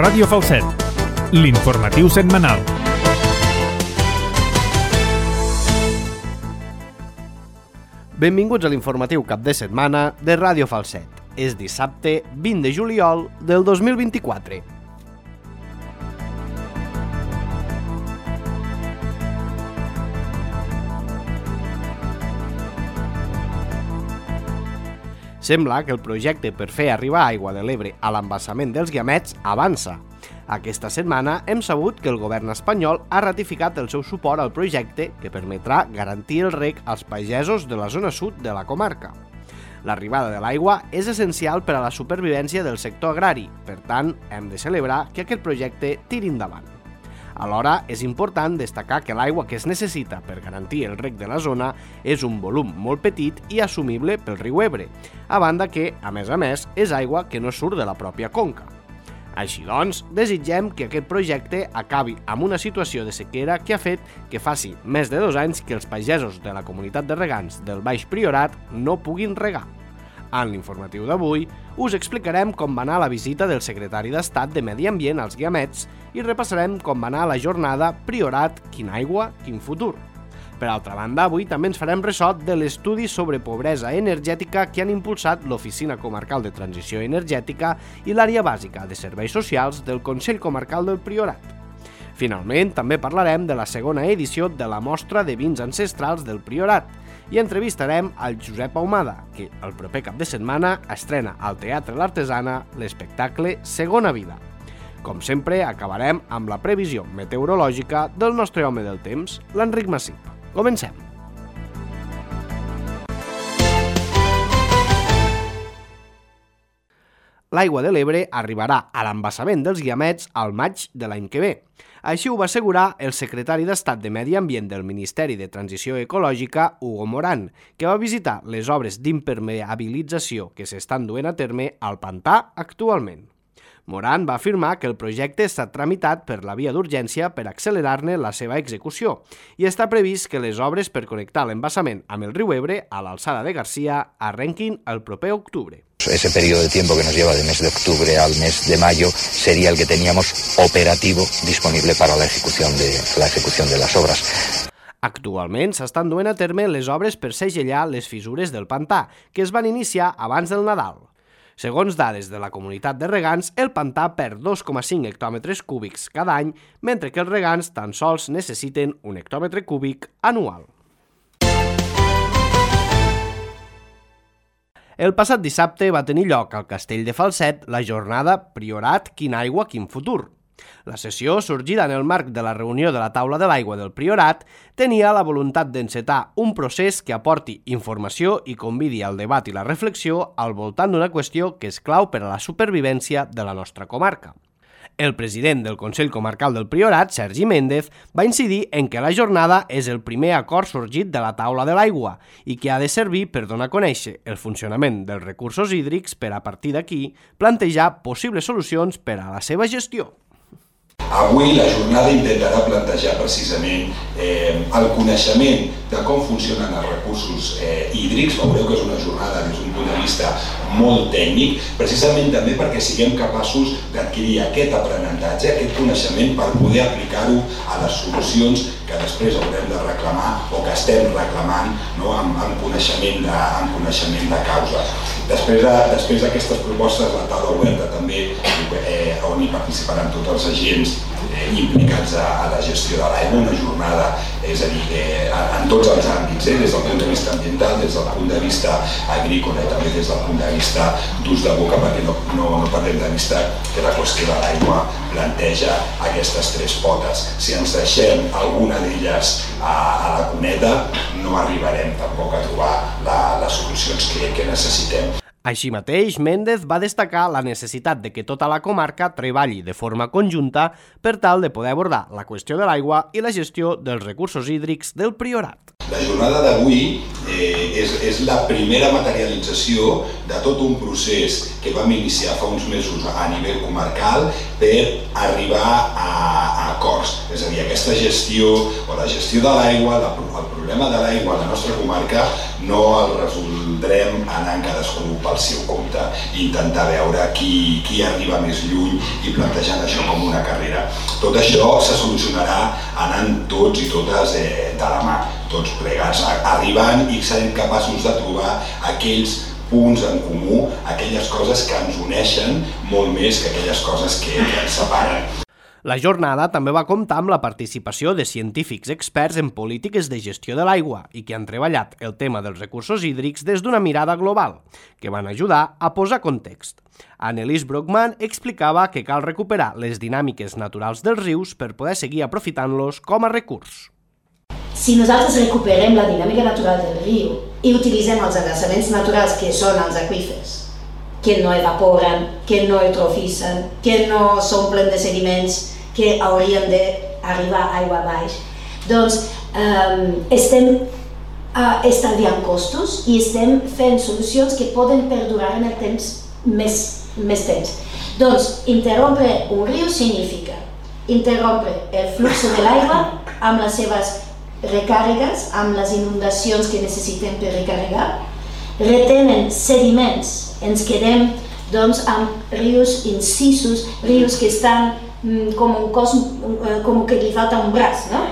Ràdio Falset, l'informatiu setmanal. Benvinguts a l'informatiu cap de setmana de Ràdio Falset. És dissabte 20 de juliol del 2024. Sembla que el projecte per fer arribar aigua de l'Ebre a l'embassament dels Guiamets avança. Aquesta setmana hem sabut que el govern espanyol ha ratificat el seu suport al projecte que permetrà garantir el reg als pagesos de la zona sud de la comarca. L'arribada de l'aigua és essencial per a la supervivència del sector agrari, per tant, hem de celebrar que aquest projecte tiri endavant. Alhora, és important destacar que l'aigua que es necessita per garantir el reg de la zona és un volum molt petit i assumible pel riu Ebre, a banda que, a més, és aigua que no surt de la pròpia conca. Així doncs, desitgem que aquest projecte acabi amb una situació de sequera que ha fet que faci més de 2 anys que els pagesos de la comunitat de regants del Baix Priorat no puguin regar. En l'informatiu d'avui us explicarem com va anar la visita del secretari d'Estat de Medi Ambient als Guiamets i repassarem com va anar la jornada Priorat, quina aigua, quin futur. Per altra banda, avui també ens farem ressò de l'estudi sobre pobresa energètica que han impulsat l'Oficina Comarcal de Transició Energètica i l'Àrea Bàsica de Serveis Socials del Consell Comarcal del Priorat. Finalment, també parlarem de la segona edició de la mostra de vins ancestrals del Priorat i entrevistarem al Josep Ahumada, que el proper cap de setmana estrena al Teatre l'Artesana l'espectacle Segona Vida. Com sempre, acabarem amb la previsió meteorològica del nostre home del temps, l'Enric Massip. Comencem! L'aigua de l'Ebre arribarà a l'embassament dels Guiamets al maig de l'any que ve. Així ho va assegurar el secretari d'Estat de Medi Ambient del Ministeri de Transició Ecològica, Hugo Morán, que va visitar les obres d'impermeabilització que s'estan duent a terme al pantà actualment. Morán va afirmar que el projecte està tramitat per la via d'urgència per accelerar-ne la seva execució i està previst que les obres per connectar l'embassament amb el riu Ebre a l'alçada de Garcia arrenquin el proper octubre. Ese periodo de tiempo que nos lleva de mes de octubre al mes de mayo sería el que teníamos operativo disponible para la ejecución de las obras. Actualment s'estan duent a terme les obres per segellar les fissures del pantà, que es van iniciar abans del Nadal. Segons dades de la comunitat de regants, el pantà perd 2,5 hectòmetres cúbics cada any, mentre que els regants tan sols necessiten 1 hectòmetre cúbic anual. El passat dissabte va tenir lloc al Castell de Falset la jornada Priorat, quina aigua, quin futur. La sessió, sorgida en el marc de la reunió de la taula de l'aigua del Priorat, tenia la voluntat d'encetar un procés que aporti informació i convidi al debat i la reflexió al voltant d'una qüestió que és clau per a la supervivència de la nostra comarca. El president del Consell Comarcal del Priorat, Sergi Méndez, va incidir en que la jornada és el primer acord sorgit de la taula de l'aigua i que ha de servir per donar a conèixer el funcionament dels recursos hídrics per a partir d'aquí plantejar possibles solucions per a la seva gestió. Avui la jornada intentarà plantejar precisament el coneixement de com funcionen els recursos hídrics. Veureu que és una jornada des d'un punt de vista molt tècnic, precisament també perquè siguem capaços d'adquirir aquest aprenentatge, aquest coneixement per poder aplicar-ho a les solucions que després haurem de reclamar o que estem reclamant amb coneixement de causa. Després d'aquestes propostes, la taula oberta també, on hi participaran tots els agents implicats a la gestió de l'aigua, una jornada, és a dir, en tots els àmbits, des del punt de vista ambiental, des del punt de vista agrícola i també des del punt de vista d'ús de boca, perquè no perdem de vista que la qüestió de l'aigua planteja aquestes 3 potes. Si ens deixem alguna d'elles a la cuneta, no arribarem tampoc a trobar les solucions que necessitem. Així mateix, Méndez va destacar la necessitat de que tota la comarca treballi de forma conjunta per tal de poder abordar la qüestió de l'aigua i la gestió dels recursos hídrics del Priorat. La jornada d'avui és la primera materialització de tot un procés que vam iniciar fa uns mesos a nivell comarcal per arribar a acords. És a dir, aquesta gestió o la gestió de l'aigua, el problema de l'aigua a la nostra comarca no el resoldrem anant cadascú pel seu compte i intentar veure qui arriba més lluny i plantejant això com una carrera. Tot això se solucionarà anant tots i totes de la mà, tots plegats, arribant i serem capaços de trobar aquells punts en comú, aquelles coses que ens uneixen molt més que aquelles coses que ens separen. La jornada també va comptar amb la participació de científics experts en polítiques de gestió de l'aigua i que han treballat el tema dels recursos hídrics des d'una mirada global, que van ajudar a posar context. Annelies Brockman explicava que cal recuperar les dinàmiques naturals dels rius per poder seguir aprofitant-los com a recurs. Si nosaltres recuperem la dinàmica natural del riu i utilitzem els embassaments naturals que són els aqüífers, que no evaporen, que no eutrofitzen, que no s'omplen de sediments que haurien d'arribar aigua baix, doncs estem estalviant costos i estem fent solucions que poden perdurar en el temps més temps. Doncs interrompre un riu significa interrompre el flux de l'aigua amb les seves recàrregues, amb les inundacions que necessitem per recarregar, retenen sediments, ens quedem doncs, amb rius incisos, rius que estan com un cos, com que li falta un braç, no?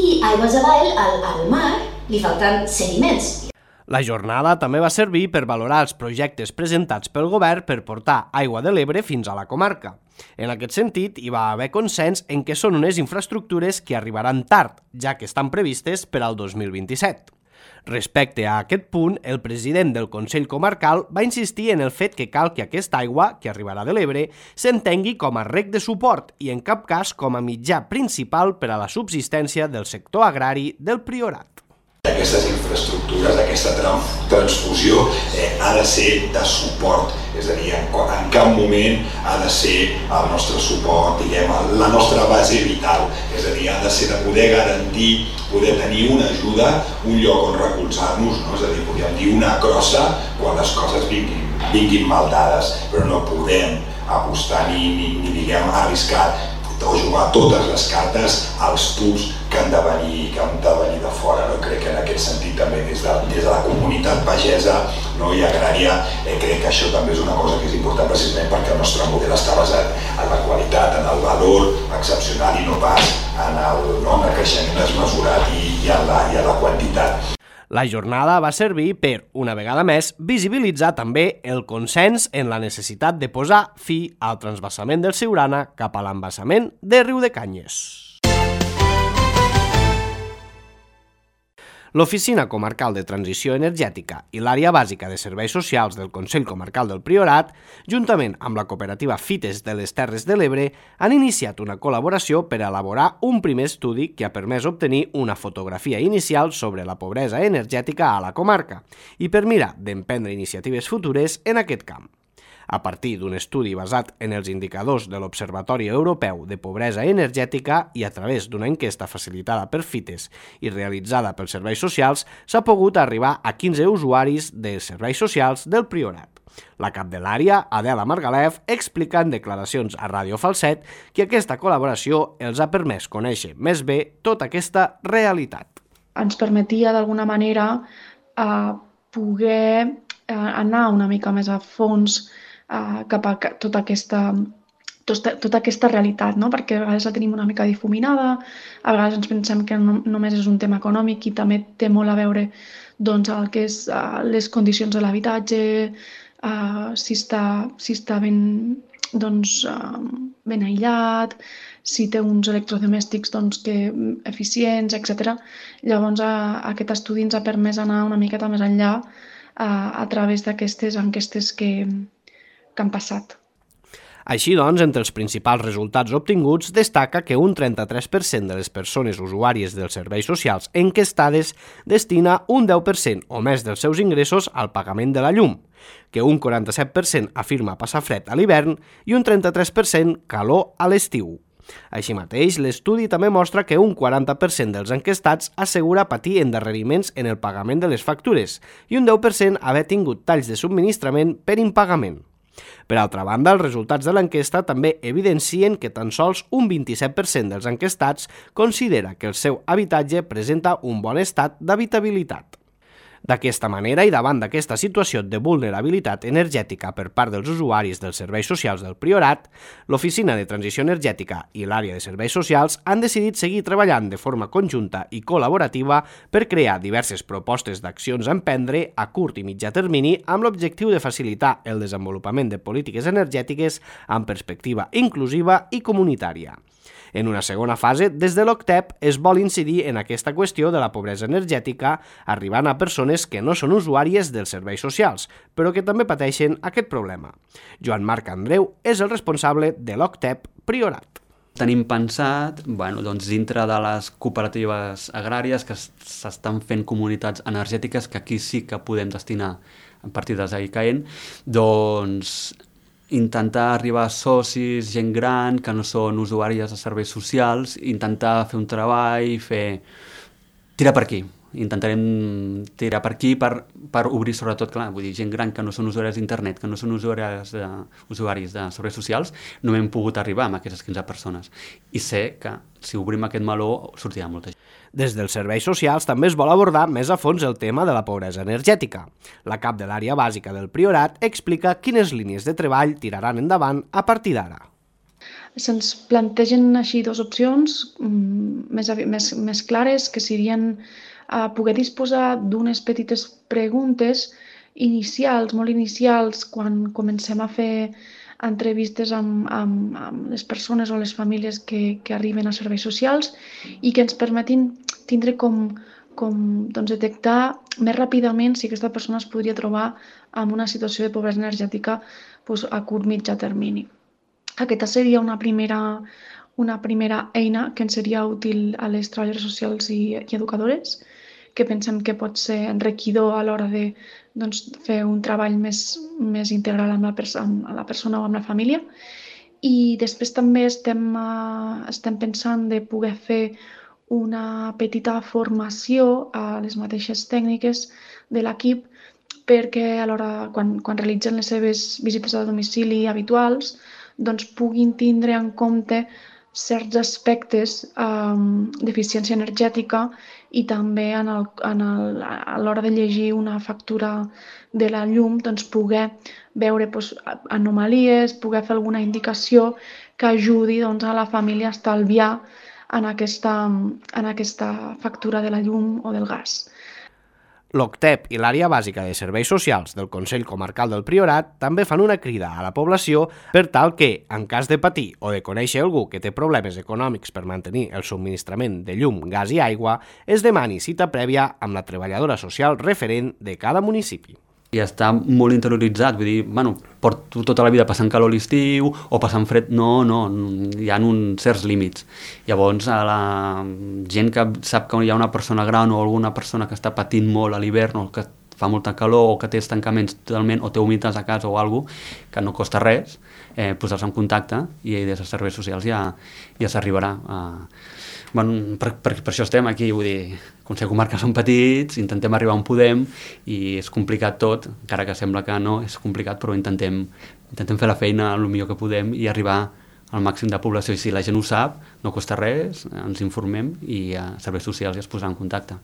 I aigües avall, al mar, li falten sediments. La jornada també va servir per valorar els projectes presentats pel govern per portar aigua de l'Ebre fins a la comarca. En aquest sentit, hi va haver consens en què són unes infraestructures que arribaran tard, ja que estan previstes per al 2027. Respecte a aquest punt, el president del Consell Comarcal va insistir en el fet que cal que aquesta aigua, que arribarà de l'Ebre, s'entengui com a rec de suport i en cap cas com a mitjà principal per a la subsistència del sector agrari del Priorat. Aquestes infraestructures, aquesta transfusió ha de ser de suport, és a dir, en cap moment ha de ser el nostre suport, diguem, la nostra base vital, és a dir, ha de ser de poder garantir, poder tenir una ajuda, un lloc on recolzar-nos, no? És a dir, podríem dir una crossa quan les coses vinguin mal dades, però no podem apostar ni diguem, arriscar o jugar totes les cartes als tubs que han de venir de fora. No? Crec que en aquest sentit també des de la comunitat pagesa i agrària crec que això també és una cosa que és important precisament perquè el nostre model està basat en la qualitat, en el valor excepcional i no pas en el creixement desmesurat i en la quantitat. La jornada va servir per, una vegada més, visibilitzar també el consens en la necessitat de posar fi al transvasament del Siurana cap a l'embassament de Riudecanyes. L'Oficina Comarcal de Transició Energètica i l'Àrea Bàsica de Serveis Socials del Consell Comarcal del Priorat, juntament amb la cooperativa Fites de les Terres de l'Ebre, han iniciat una col·laboració per elaborar un primer estudi que ha permès obtenir una fotografia inicial sobre la pobresa energètica a la comarca i per mirar d'emprendre iniciatives futures en aquest camp. A partir d'un estudi basat en els indicadors de l'Observatori Europeu de Pobresa Energètica i a través d'una enquesta facilitada per Fites i realitzada pels serveis socials, s'ha pogut arribar a 15 usuaris de serveis socials del Priorat. La cap de l'àrea, Adela Margalef, explica en declaracions a Ràdio Falset que aquesta col·laboració els ha permès conèixer més bé tota aquesta realitat. Ens permetia d'alguna manera poder anar una mica més a fons cap a tota aquesta realitat, no? Perquè a vegades la tenim una mica difuminada, a vegades ens pensem que només és un tema econòmic i també té molt a veure doncs, el que és les condicions de l'habitatge, si està ben aïllat, si té uns electrodomèstics eficients, etc. Llavors aquest estudi ens ha permès anar una miqueta més enllà a través d'aquestes enquestes que han passat. Així doncs, entre els principals resultats obtinguts destaca que un 33% de les persones usuàries dels serveis socials enquestades destina un 10% o més dels seus ingressos al pagament de la llum, que un 47% afirma passar fred a l'hivern i un 33% calor a l'estiu. Així mateix, l'estudi també mostra que un 40% dels enquestats assegura patir endarreriments en el pagament de les factures i un 10% haver tingut talls de subministrament per impagament. Per altra banda, els resultats de l'enquesta també evidencien que tan sols un 27% dels enquestats considera que el seu habitatge presenta un bon estat d'habitabilitat. D'aquesta manera i davant d'aquesta situació de vulnerabilitat energètica per part dels usuaris dels serveis socials del Priorat, l'Oficina de Transició Energètica i l'Àrea de Serveis Socials han decidit seguir treballant de forma conjunta i col·laborativa per crear diverses propostes d'accions a emprendre a curt i mitjà termini amb l'objectiu de facilitar el desenvolupament de polítiques energètiques amb perspectiva inclusiva i comunitària. En una segona fase, des de l'OCTEP es vol incidir en aquesta qüestió de la pobresa energètica, arribant a persones que no són usuàries dels serveis socials, però que també pateixen aquest problema. Joan Marc Andreu és el responsable de l'OCTEP Priorat. Tenim pensat, dintre de les cooperatives agràries que s'estan fent comunitats energètiques, que aquí sí que podem destinar partides a ICAEN, intentar arribar a socis, gent gran, que no són usuàries de serveis socials, intentar fer un treball, tirar per aquí. Intentarem tirar per aquí per obrir sobretot, clar, vull dir, gent gran que no són usuaris d'internet, que no són usuaris de serveis socials, no hem pogut arribar amb aquestes 15 persones. I sé que si obrim aquest meló sortirà molta gent. Des dels serveis socials també es vol abordar més a fons el tema de la pobresa energètica. La cap de l'àrea bàsica del Priorat explica quines línies de treball tiraran endavant a partir d'ara. Se'ns plantegen així dues opcions més clares, que serien poder disposar d'unes petites preguntes inicials, molt inicials, quan comencem a fer entrevistes amb les persones o les famílies que arriben a serveis socials i que ens permetin tindre com detectar més ràpidament si aquesta persona es podria trobar en una situació de pobresa energètica a curt mitjà termini. Aquesta seria una primera eina que ens seria útil a les treballadores socials i educadores, que pensem que pot ser enriquidor a l'hora de fer un treball més integral amb la persona o amb la família. I després també estem pensant de poder fer una petita formació a les mateixes tècniques de l'equip perquè alhora, quan realitzen les seves visites a domicili habituals, puguin tindre en compte certs aspectes d'eficiència energètica i també a l'hora de llegir una factura de la llum poder veure anomalies, poder fer alguna indicació que ajudi a la família a estalviar en aquesta factura de la llum o del gas. L'OCTEP i l'Àrea Bàsica de Serveis Socials del Consell Comarcal del Priorat també fan una crida a la població per tal que, en cas de patir o de conèixer algú que té problemes econòmics per mantenir el subministrament de llum, gas i aigua, es demani cita prèvia amb la treballadora social referent de cada municipi. I està molt interioritzat, vull dir, porto tota la vida passant calor a l'estiu o passant fred, no, hi ha uns certs límits. Llavors, a la gent que sap que hi ha una persona gran o alguna persona que està patint molt a l'hivern o que fa molta calor o que té estancaments totalment o té humitats a casa o alguna cosa, que no costa res, posar-se en contacte i des dels serveis socials ja s'arribarà a... Per això estem aquí, vull dir, Consell Comarcal són petits, intentem arribar on podem i és complicat tot, encara que sembla que no, és complicat, però intentem fer la feina el millor que podem i arribar al màxim de població. I si la gent ho sap, no costa res, ens informem i a serveis socials ja es posaran en contacte.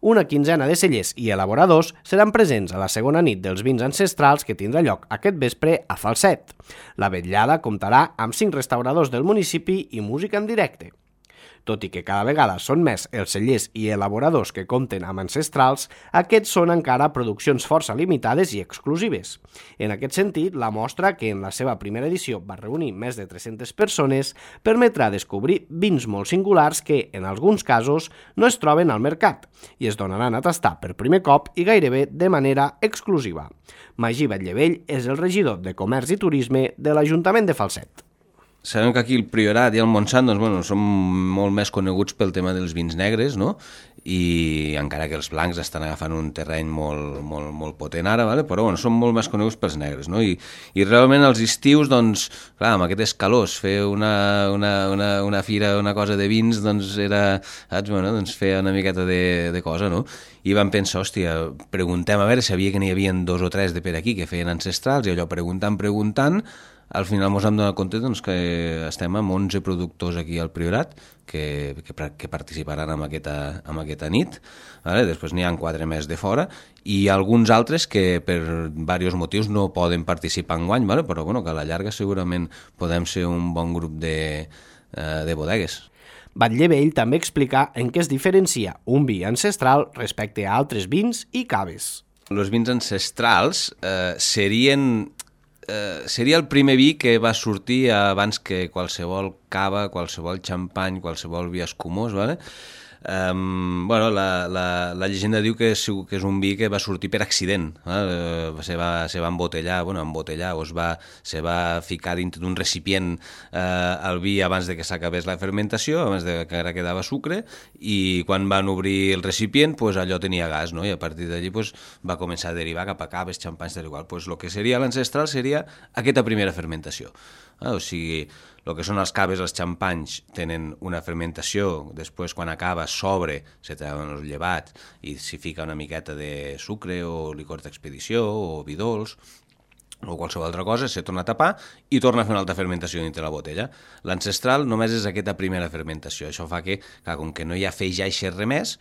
Una quinzena de cellers i elaboradors seran presents a la segona nit dels vins ancestrals que tindrà lloc aquest vespre a Falset. La vetllada comptarà amb 5 restauradors del municipi i música en directe. Tot i que cada vegada són més els cellers i elaboradors que compten amb ancestrals, aquests són encara produccions força limitades i exclusives. En aquest sentit, la mostra, que en la seva primera edició va reunir més de 300 persones, permetrà descobrir vins molt singulars que, en alguns casos, no es troben al mercat i es donaran a tastar per primer cop i gairebé de manera exclusiva. Magí Batllevell és el regidor de Comerç i Turisme de l'Ajuntament de Falset. Sabem que aquí el Priorat i el Montsant són molt més coneguts pel tema dels vins negres, no? I encara que els blancs estan agafant un terreny molt potent ara, però són molt més coneguts pels negres, no? I realment als estius, clar, amb aquestes calors, fer una fira, una cosa de vins, era, fer una miqueta de cosa, no? I vam pensar, preguntem a veure, sabia que n'hi havia 2 o 3 de per aquí que feien ancestrals, i allò preguntant, al final ens hem donat compte doncs, que estem amb 11 productors aquí al Priorat que participaran en aquesta nit. Vale? Després n'hi ha 4 més de fora i alguns altres que per diversos motius no poden participar enguany, vale? Però bueno, que a la llarga segurament podem ser un bon grup de bodegues. Batlle Vell també explica en què es diferencia un vi ancestral respecte a altres vins i caves. Els vins ancestrals seria el primer vi que va sortir abans que qualsevol cava, qualsevol xampany, qualsevol vi escumós, ¿vale? Bueno, la llegenda diu que és un vi que va sortir per accident, se va embotellar, o se va ficar dintre d'un recipient el vi abans de que s'acabés la fermentació, abans de que ara quedava sucre, i quan van obrir el recipient, pues, allò tenia gas, no? I a partir d'allí pues, va començar a derivar cap a caves, xampanys, tal igual. Pues, el que seria l'ancestral seria aquesta primera fermentació. O sigui, el que són els caves, els xampanys, tenen una fermentació, després quan acaba s'obre, se treuen els llevats i s'hi fica una miqueta de sucre o licor d'expedició o vi dolç o qualsevol altra cosa, se torna a tapar i torna a fer una altra fermentació dintre la botella. L'ancestral només és aquesta primera fermentació. Això fa que, clar, com que no hi ha feix i res més,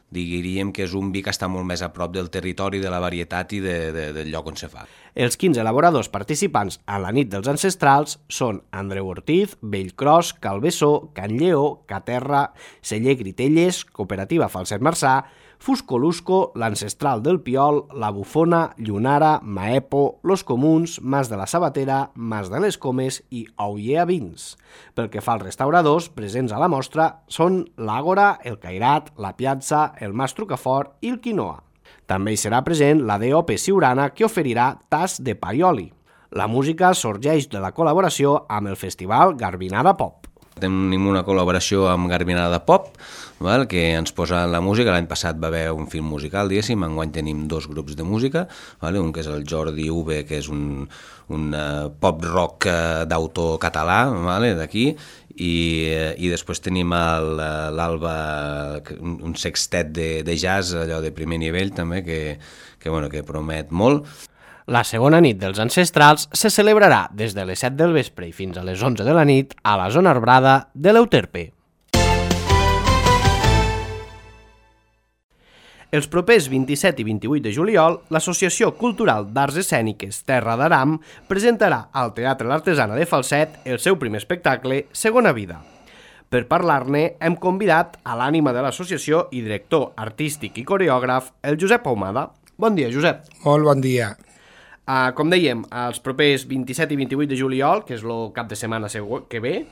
diríem que és un vi que està molt més a prop del territori, de la varietat i del lloc on se fa. Els 15 elaboradors participants a la nit dels ancestrals són Andreu Ortiz, Bellcros, Calbessó, Can Lleó, Caterra, Celler Gritelles, Cooperativa Falset Marçà, Fuscolusco, l'Ancestral del Piol, La Bufona, Llunara, Maepo, Los Comuns, Mas de la Sabatera, Mas de les Comes i Ollea Vins. Pel que fa als restauradors presents a la mostra són l'Àgora, el Cairat, la Piazza, el Mas Trucafort i el Quinoa. També hi serà present la DOP Siurana, que oferirà tas de pa i oli. La música sorgeix de la col·laboració amb el festival Garbinada Pop. Tenim una col·laboració amb Garbinada Pop, que ens posa la música. L'any passat va haver un film musical, diguéssim, enguany tenim 2 grups de música, un que és el Jordi Uve, que és un pop-rock d'autor català d'aquí, i després tenim l'Alba, un sextet de jazz, allò de primer nivell també, que promet molt. La segona nit dels ancestrals se celebrarà des de les 7 del vespre i fins a les 11 de la nit a la zona arbrada de l'Euterpe. Els propers 27 i 28 de juliol, l'Associació Cultural d'Arts Escèniques Terra d'Aram presentarà al Teatre L'Artesana de Falset el seu primer espectacle, Segona Vida. Per parlar-ne, hem convidat a l'ànima de l'associació i director artístic i coreògraf, el Josep Ahumada. Bon dia, Josep. Molt bon dia. Com dèiem, els propers 27 i 28 de juliol, que és el cap de setmana que ve,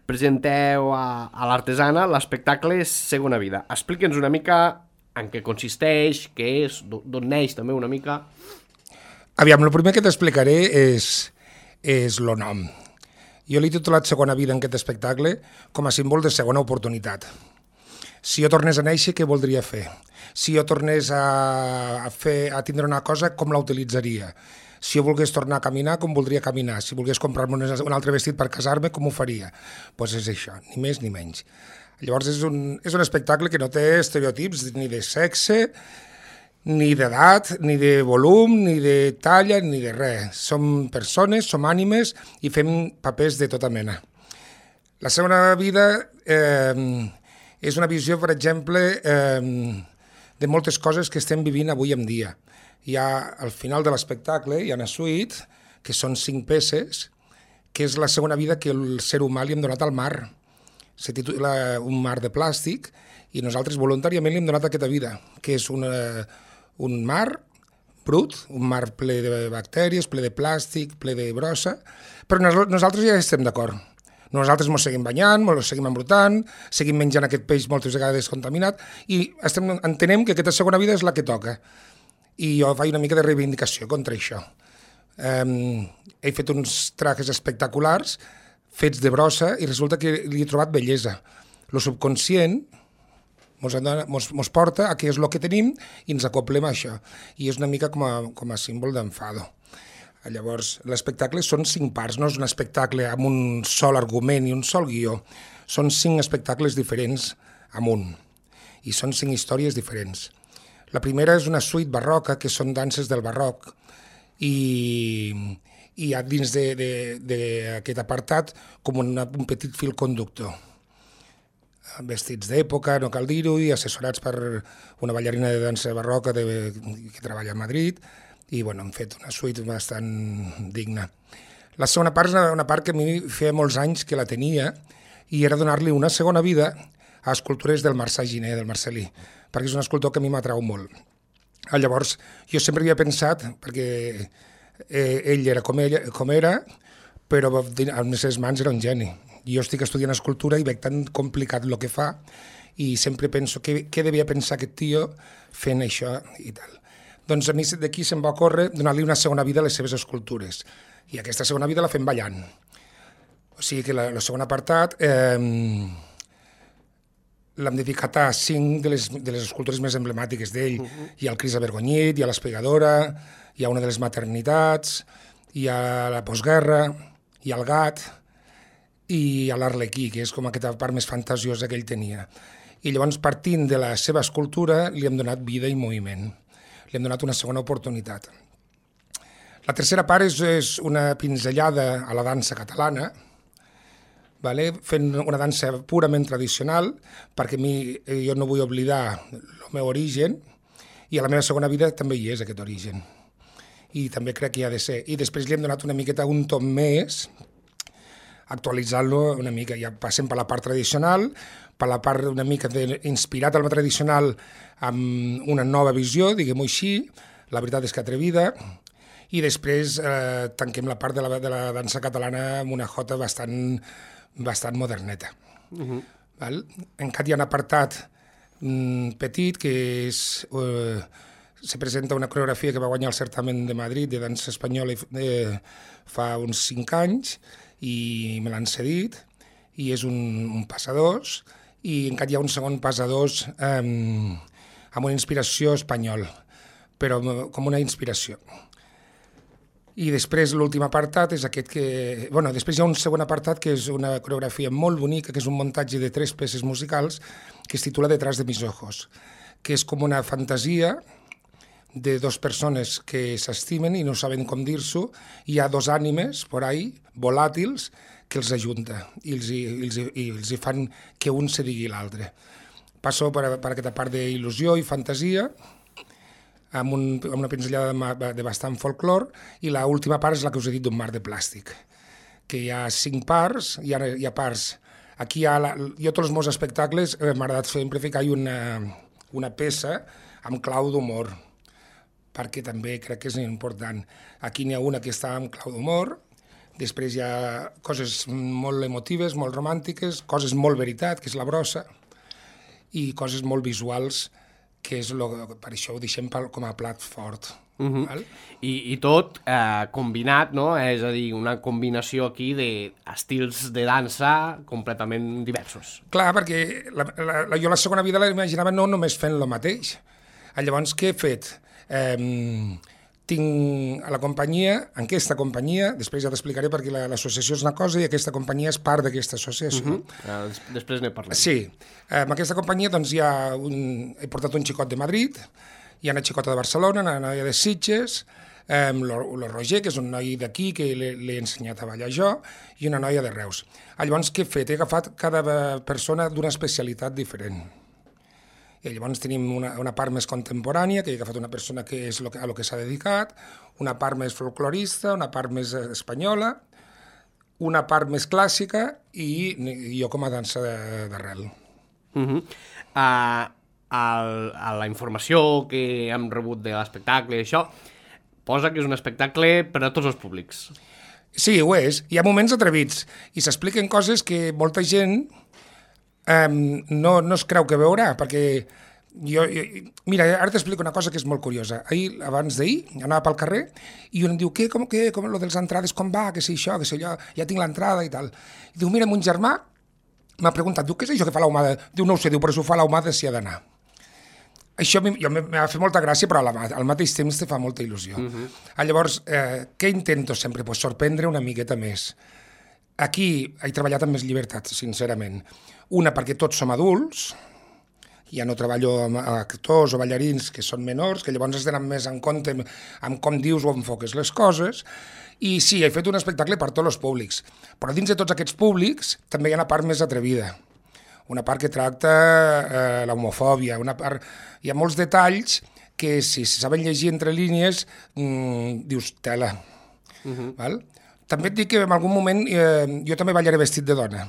presenteu a l'Artesana l'espectacle Segona Vida. Explica'ns una mica en què consisteix, què és, d'on neix també una mica. Aviam, el primer que t'explicaré és el nom. Jo l'he titulat Segona Vida en aquest espectacle com a símbol de segona oportunitat. Si jo tornés a néixer, què voldria fer? Si jo tornés a tindre una cosa, com la utilitzaria? Si jo volgués tornar a caminar, com voldria caminar? Si volgués comprar-me un altre vestit per casar-me, com ho faria? Doncs és això, ni més ni menys. Llavors és un espectacle que no té estereotips ni de sexe, ni d'edat, ni de volum, ni de talla, ni de res. Som persones, som ànimes i fem papers de tota mena. La segona vida és una visió, per exemple, de moltes coses que estem vivint avui en dia. Al final de l'espectacle hi ha una suite, que són 5 peces, que és la segona vida que el ser humà li hem donat al mar. Se titula Un mar de plàstic, i nosaltres voluntàriament li hem donat aquesta vida, que és un mar brut, un mar ple de bactèries, ple de plàstic, ple de brossa, però nosaltres ja estem d'acord. Nosaltres ens seguim banyant, ens seguim embrutant, seguim menjant aquest peix moltes vegades contaminat i entenem que aquesta segona vida és la que toca. I jo faig una mica de reivindicació contra això. He fet uns trajes espectaculars fets de brossa i resulta que li he trobat bellesa. El subconscient ens porta a què és el que tenim i ens acoplem a això. I és una mica com a símbol d'enfado. Llavors, l'espectacle són 5 parts, no és un espectacle amb un sol argument i un sol guió. Són 5 espectacles diferents amunt i són 5 històries diferents. La primera és una suite barroca, que són danses del barroc, i i hi ha dins d'aquest apartat com un petit fil conductor. Vestits d'època, no cal dir-ho, i assessorats per una ballarina de dansa barroca que treballa a Madrid, i bueno, hem fet una suite bastant digna. La segona part és una part que a mi feia molts anys que la tenia, i era donar-li una segona vida a escultures del Marçà Giner, del Marcelí, perquè és un escultor que a mi m'atrau molt. Llavors, jo sempre havia pensat, perquè ell era com era, però amb les seves mans era un geni. Jo estic estudiant escultura i veig tan complicat el que fa i sempre penso què devia pensar aquest tio fent això i tal. Doncs a mi d'aquí se'm va ocórrer donar-li una segona vida a les seves escultures i aquesta segona vida la fem ballant. O sigui que el segon apartat l'hem dedicat a 5 de les escultures més emblemàtiques d'ell. Hi ha el Cris avergonyit, hi ha l'espegadora, hi ha una de les maternitats, hi ha la postguerra, hi ha el gat i a l'Arlequí, que és com aquesta part més fantasiosa que ell tenia. I llavors, partint de la seva escultura, li hem donat vida i moviment. Li hem donat una segona oportunitat. La tercera part és una pinzellada a la dansa catalana, fent una dansa purament tradicional, perquè jo no vull oblidar el meu origen, i a la meva segona vida també hi és aquest origen. I també crec que hi ha de ser. I després li hem donat una miqueta un tom més, actualitzant-lo una mica. Ja passem per la part tradicional, per la part una mica inspirat al tradicional amb una nova visió, diguem-ho així, la veritat és que atrevida, i després tanquem la part de la dansa catalana amb una jota bastant moderneta. Encara hi ha un apartat petit que se presenta una coreografia que va guanyar el certamen de Madrid de dansa espanyola fa uns 5 anys, i me l'han cedit, i és un passadors, i encara hi ha un segon passadors amb una inspiració espanyol, però com una inspiració. I després l'últim apartat és aquest que... després hi ha un segon apartat que és una coreografia molt bonica, que és un muntatge de 3 peces musicals que es titula Detrás de mis ojos, que és com una fantasia de 2 persones que s'estimen i no saben com dir-s'ho, i hi ha 2 ànimes por ahí, volàtils, que els ajunta i els fan que un se digui l'altre. Passo per aquesta part d'il·lusió i fantasia, amb una pinzellada de bastant folclor, i l'última part és la que us he dit d'un mar de plàstic, que hi ha 5 parts, hi ha parts... Aquí jo tots els meus espectacles m'ha agradat sempre ficar-hi una peça amb clau d'humor, perquè també crec que és important. Aquí n'hi ha una que està amb clau d'humor, després hi ha coses molt emotives, molt romàntiques, coses molt veritat, que és la brossa, i coses molt visuals, que és per això ho deixem com a plat fort. I tot combinat, no? És a dir, una combinació aquí d'estils de dansa completament diversos. Clar, perquè jo la segona vida la imaginava no només fent el mateix. Llavors, què he fet? Tinc a la companyia, en aquesta companyia, després ja t'explicaré perquè l'associació és una cosa i aquesta companyia és part d'aquesta associació. Després ne parlem. Sí, en aquesta companyia doncs he portat un xicot de Madrid, hi ha una xicota de Barcelona, una noia de Sitges, el Roger, que és un noi d'aquí que l'he ensenyat a ballar jo, i una noia de Reus. Llavors què he fet? He agafat cada persona d'una especialitat diferent. I llavors tenim una part més contemporània, que he agafat una persona que és a lo que s'ha dedicat, una part més folclorista, una part més espanyola, una part més clàssica i jo com a dansa d'arrel. A la informació que hem rebut de l'espectacle i això, posa que és un espectacle per a tots els públics. Sí, ho és. Hi ha moments atrevits i s'expliquen coses que molta gent no es creu que veurà, perquè mira, ara t'explico una cosa que és molt curiosa. Abans d'ahir, anava pel carrer i un em diu, com lo de les entrades, com va, que si això, que si allò, ja tinc l'entrada i tal. I diu, mira, mon germà m'ha preguntat, diu, què és això que fa l'ahumada? Diu, no ho sé, diu, però si ho fa l'ahumada s'hi ha d'anar. Això m'ha fet molta gràcia, però al mateix temps te fa molta il·lusió. Llavors, què intento sempre? Pues sorprendre una miqueta més. Aquí he treballat amb més llibertat, sincerament. Una, perquè tots som adults, ja no treballo amb actors o ballarins que són menors, que llavors has d'anar més en compte amb com dius o enfoques les coses. I sí, he fet un espectacle per tots els públics, però dins de tots aquests públics també hi ha una part més atrevida, una part que tracta l'homofòbia, hi ha molts detalls que si saben llegir entre línies dius tela. Val? També et dic que en algun moment jo també ballaré vestit de dona,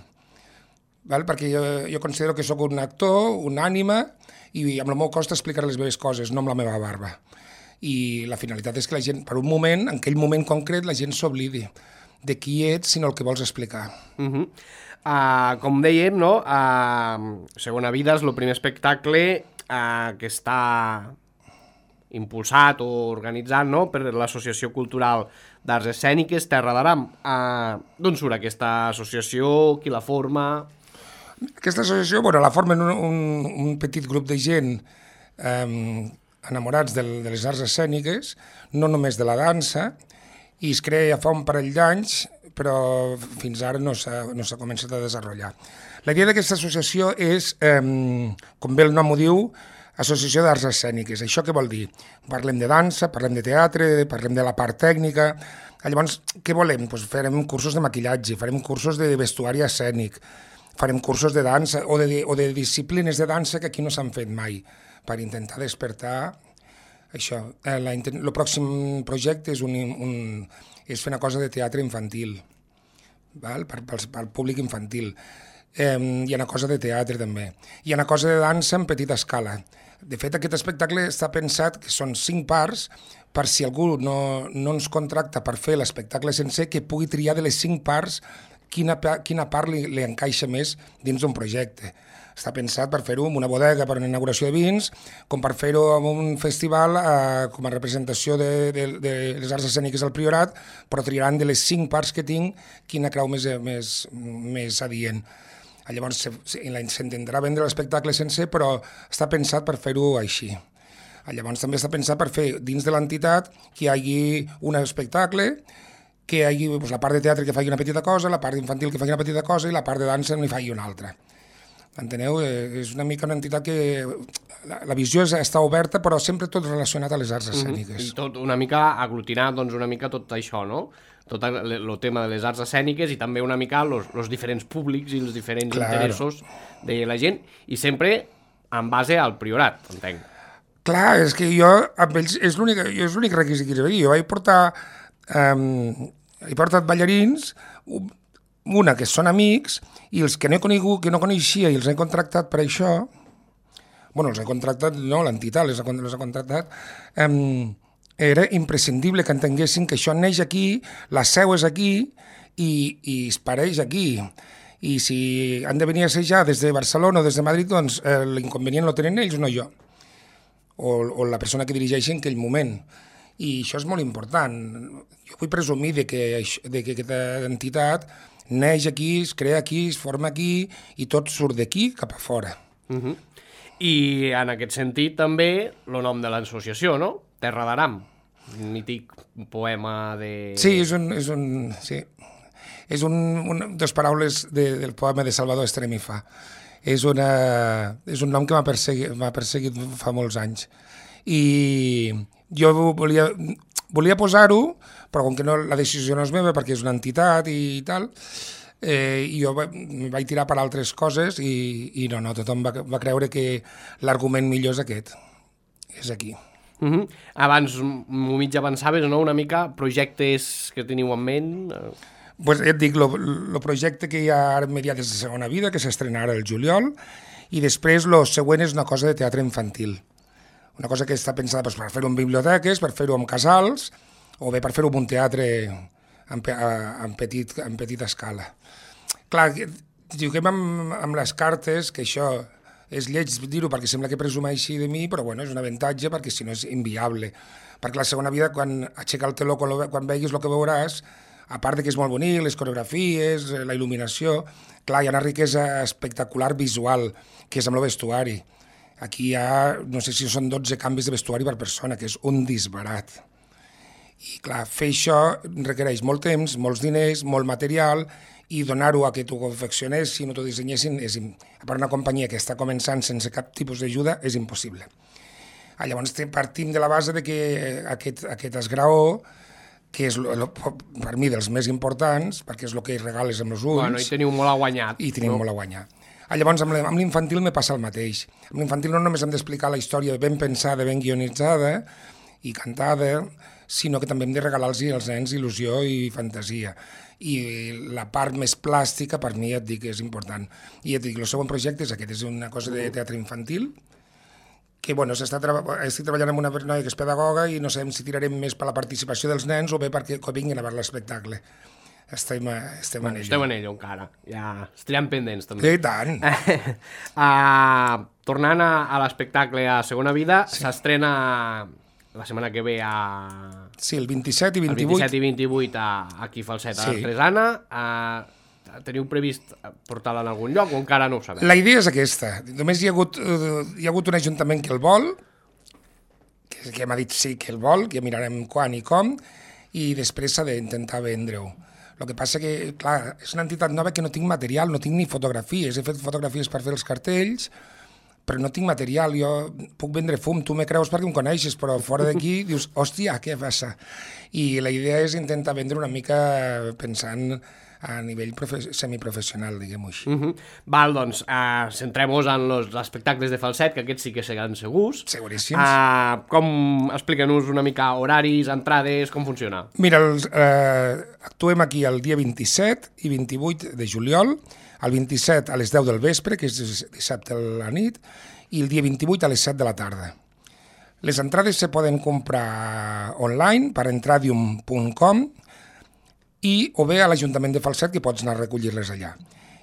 val? Perquè jo considero que sóc un actor, una ànima, i amb el meu cost explicar les meves coses, no amb la meva barba. I la finalitat és que la gent, per un moment, en aquell moment concret, la gent s'oblidi de qui ets, sinó el que vols explicar. Com dèiem, no? Segona Vida és el primer espectacle que està impulsat o organitzat, no?, per l'Associació Cultural d'Arts Escèniques Terra d'Aram. D'on surt aquesta associació? Qui la forma? Aquesta associació, bueno, la formen un petit grup de gent enamorats de les arts escèniques, no només de la dansa, i es crea ja fa un parell d'anys, però fins ara no s'ha començat a desenvolupar. La idea d'aquesta associació és, com bé el nom ho diu, Associació d'Arts Escèniques. Això què vol dir? Parlem de dansa, parlem de teatre, parlem de la part tècnica. Llavors, què volem? Pues farem cursos de maquillatge, farem cursos de vestuari escènic, farem cursos de dansa o de disciplines de dansa que aquí no s'han fet mai, per intentar despertar això. El pròxim projecte és fer una cosa de teatre infantil, val? Pel públic infantil. Hi ha una cosa de teatre també. Hi ha una cosa de dansa en petita escala. De fet, aquest espectacle està pensat que són 5 parts, per si algú no ens contracta per fer l'espectacle sencer, que pugui triar de les 5 parts quina part li encaixa més dins d'un projecte. Està pensat per fer-ho en una bodega per una inauguració de vins, com per fer-ho en un festival com a representació de les arts escèniques del Priorat, però triaran de les 5 parts que tinc quina creu més adient. Llavors s'intentarà vendre l'espectacle sencer, però està pensat per fer-ho així. Llavors també està pensat per fer dins de l'entitat que hi hagi un espectacle, que hi hagi la part de teatre que faci una petita cosa, la part infantil que faci una petita cosa i la part de dansa n'hi faci una altra. Enteneu? És una mica una entitat que la visió està oberta, però sempre tot relacionat a les arts escèniques. I tot una mica aglutinat, doncs una mica tot això, no? Tot el tema de les arts escèniques i també una mica els diferents públics i els diferents interessos de la gent, i sempre en base al Priorat, entenc. Clar, és que jo, amb ells, és l'únic requisit que jo vaig portar, he portat ballarins, una que són amics, i els que no he conegut, que no coneixia i els he contractat per això, bueno, els he contractat, no, l'entitat les ha contractat, era imprescindible que entenguessin que això neix aquí, la seu és aquí i es pareix aquí. I si han de venir a assajar des de Barcelona o des de Madrid, doncs l'inconvenient lo tenen ells, no jo, o la persona que dirigeixi en aquell moment. I això és molt important. Jo vull presumir que aquesta entitat neix aquí, es crea aquí, es forma aquí i tot surt d'aquí cap a fora. I en aquest sentit també el nom de l'associació, no? Terra d'Aram, un mític poema de... Sí, és dos paraules del poema de Salvador Estremifà. És un nom que m'ha perseguit fa molts anys. I jo volia posar-ho, però com que la decisió no és meva perquè és una entitat i tal, i jo vaig tirar per altres coses i no, tothom va creure que l'argument millor és aquest, és aquí. Abans m'ho mig avançaves, no?, una mica, projectes que teniu en ment? Pues ja et dic, el projecte que hi ha ara immediat és de Segona Vida, que s'estrena ara el juliol, i després el següent és una cosa de teatre infantil. Una cosa que està pensada per fer-ho en biblioteques, per fer-ho en casals, o bé per fer-ho en un teatre en petita escala. Clar, juguem amb les cartes, que això és lleig dir-ho perquè sembla que presumeixi de mi, però bueno, és un avantatge perquè si no és inviable. Perquè la Segona Vida, quan aixeca el teló, quan veguis el que veuràs, a part que és molt bonic, les coreografies, la il·luminació, clar, hi ha una riquesa espectacular visual, que és amb el vestuari. Aquí hi ha, no sé si són 12 canvis de vestuari per persona, que és un disbarat. I clar, fer això requereix molt temps, molts diners, molt material i donar-ho a que t'ho confeccionessin o t'ho dissenyessin, per una companyia que està començant sense cap tipus d'ajuda, és impossible. Llavors partim de la base de que aquest esgraó, que és per mi dels més importants, perquè és el que regales amb els ulls... Bueno, i teniu molt a guanyar. I tenim molt a guanyar. Llavors, amb l'infantil me passa el mateix. Amb l'infantil no només hem d'explicar la història ben pensada, ben guionitzada i cantada, sinó que també hem de regalar-los als nens il·lusió i fantasia. I la part més plàstica, per mi, et dic, és important. I et dic, el segon projecte és aquest, és una cosa de teatre infantil, que bueno, estic treballant amb una noia que és pedagoga i no sabem si tirarem més per la participació dels nens o bé perquè vinguin a veure l'espectacle. Estem en ello. Esteu en ello encara, ja estarem pendents també. I tant! Tornant a l'espectacle a Segona Vida, s'estrena la setmana que ve a... Sí, el 27 i 28. El 27 i 28 aquí a Falset, a l'Artesana. Teniu previst portar-la en algun lloc o encara no ho sabeu? La idea és aquesta. Només hi ha hagut un ajuntament que el vol, que m'ha dit sí que el vol, que mirarem quan i com, i després s'ha d'intentar vendre-ho. El que passa que, clar, és una entitat nova que no tinc material, no tinc ni fotografies. He fet fotografies per fer els cartells, però no tinc material. Jo puc vendre fum, tu me creus perquè em coneixes, però fora d'aquí dius, hòstia, què passa? I la idea és intentar vendre una mica pensant a nivell semiprofessional, diguem-ho així. Val, doncs, centrem-nos en els espectacles de Falset, que aquests sí que seran segurs. Seguríssims. Explica-nos una mica horaris, entrades, com funciona? Mira, actuem aquí el dia 27 i 28 de juliol, el 27 a les 10 del vespre, que és dissabte a la nit, i el dia 28 a les 7 de la tarda. Les entrades se poden comprar online per entradium.com o bé a l'Ajuntament de Falset, que pots anar a recollir-les allà.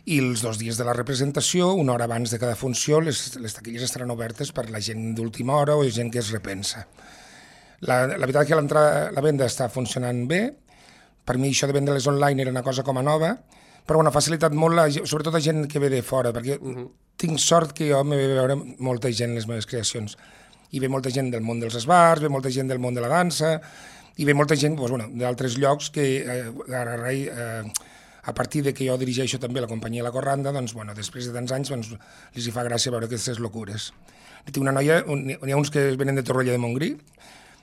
I els 2 dies de la representació, una hora abans de cada funció, les taquilles estaran obertes per la gent d'última hora o gent que es repensa. La veritat que la venda està funcionant bé. Per mi això de vendre-les online era una cosa com a nova, però ha facilitat molt, sobretot a gent que ve de fora, perquè tinc sort que jo me ve veure molta gent les meves creacions. I ve molta gent del món dels esbars, ve molta gent del món de la dansa, i ve molta gent d'altres llocs que a partir de que jo dirigeixo també la companyia La Corranda, doncs, després de tants anys els hi fa gràcia veure aquestes locures. Tinc una noia, hi ha uns que venen de Torroella de Montgrí,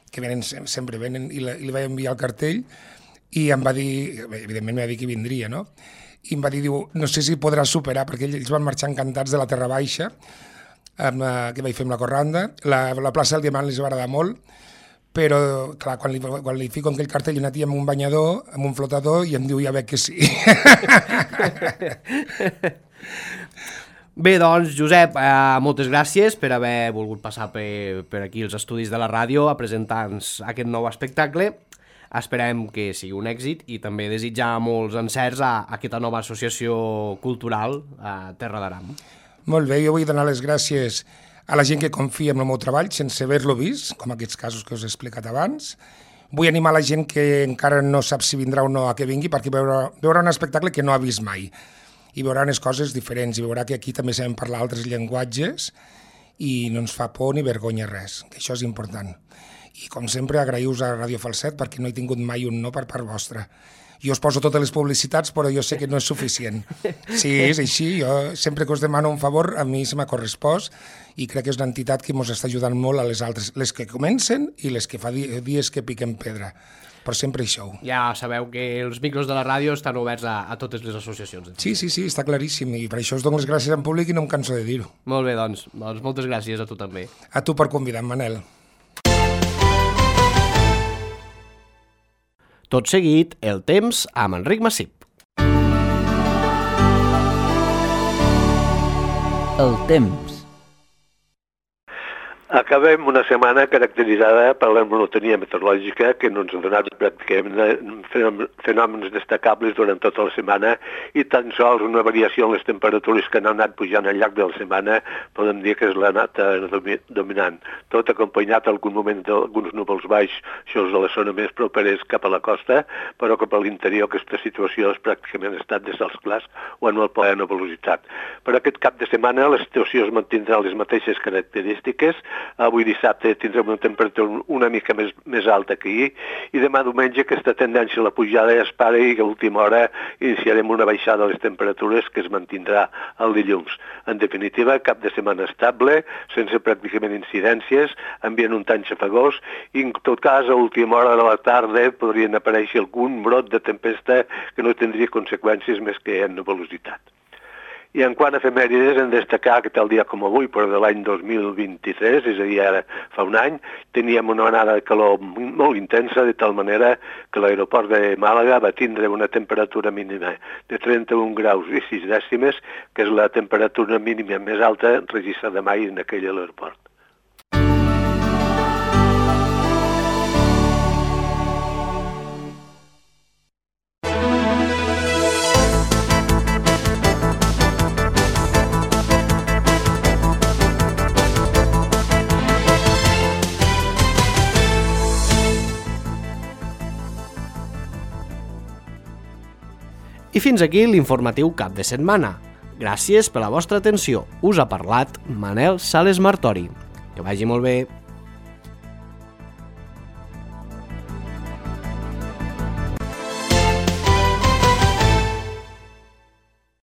que sempre venen, i li vaig enviar el cartell, i em va dir, evidentment m'ha dit que vindria, no? I em va dir, no sé si podrà superar, perquè ells van marxar encantats de la Terra Baixa, que vaig fer amb La Corranda, la plaça del Diamant els va agradar molt, però, clar, quan li fico aquell cartell una tia amb un banyador, amb un flotador, i em diu, ja veig que sí. Bé, doncs, Josep, moltes gràcies per haver volgut passar per aquí els estudis de la ràdio a presentar-nos aquest nou espectacle. Esperem que sigui un èxit i també desitjar molts encerts a aquesta nova associació cultural a Terra d'Aram. Molt bé, jo vull donar les gràcies a la gent que confia en el meu treball sense haver-lo vist, com aquests casos que us he explicat abans. Vull animar la gent que encara no sap si vindrà o no a que vingui, perquè veurà un espectacle que no ha vist mai. I veurà unes coses diferents, i veurà que aquí també sabem parlar altres llenguatges i no ens fa por ni vergonya res, que això és important. I com sempre, agraïu-vos a Ràdio Falset perquè no he tingut mai un no per part vostra. Jo us poso totes les publicitats, però jo sé que no és suficient. Sí, és així. Jo sempre que us demano un favor, a mi se m'ha correspost i crec que és una entitat que ens està ajudant molt a les altres, les que comencen i les que fa dies que piquen pedra. Però sempre hi sou. Ja sabeu que els micros de la ràdio estan oberts a totes les associacions. Sí, està claríssim. I per això us dono les gràcies en públic i no em canso de dir-ho. Molt bé, doncs moltes gràcies a tu també. A tu per convidar, Manel. Tot seguit, el temps amb Enric Massip. El temps. Acabem una setmana caracteritzada per la monotonia meteorològica que no ens ha donat pràcticament fenòmens destacables durant tota la setmana i tan sols una variació en les temperatures que han anat pujant al llarg de la setmana podem dir que és la nata dominant. Tot acompanyat en algun moment d'alguns núvols baixos a la zona més properes cap a la costa, però cap a l'interior aquesta situació és pràcticament estat de cels clars o en molt poca nuvolositat. Per aquest cap de setmana la situació es mantindrà les mateixes característiques, avui dissabte tindrem una temperatura una mica més alta que ahir, i demà diumenge aquesta tendència a la pujada ja es para i a última hora iniciarem una baixada de les temperatures que es mantindrà el dilluns. En definitiva, cap de setmana estable, sense pràcticament incidències, ambient un tant xafagós, i en tot cas a última hora de la tarda podrien aparèixer algun brot de tempesta que no tindria conseqüències més que en velocitat. I en quant a efemèrides, hem de destacar que tal dia com avui, però de l'any 2023, és a dir, ara fa un any, teníem una onada de calor molt intensa, de tal manera que l'aeroport de Màlaga va tindre una temperatura mínima de 31 graus i 6 dècimes, que és la temperatura mínima més alta registrada mai en aquell aeroport. I fins aquí l'informatiu cap de setmana. Gràcies per la vostra atenció. Us ha parlat Manel Sales Martori. Que vagi molt bé.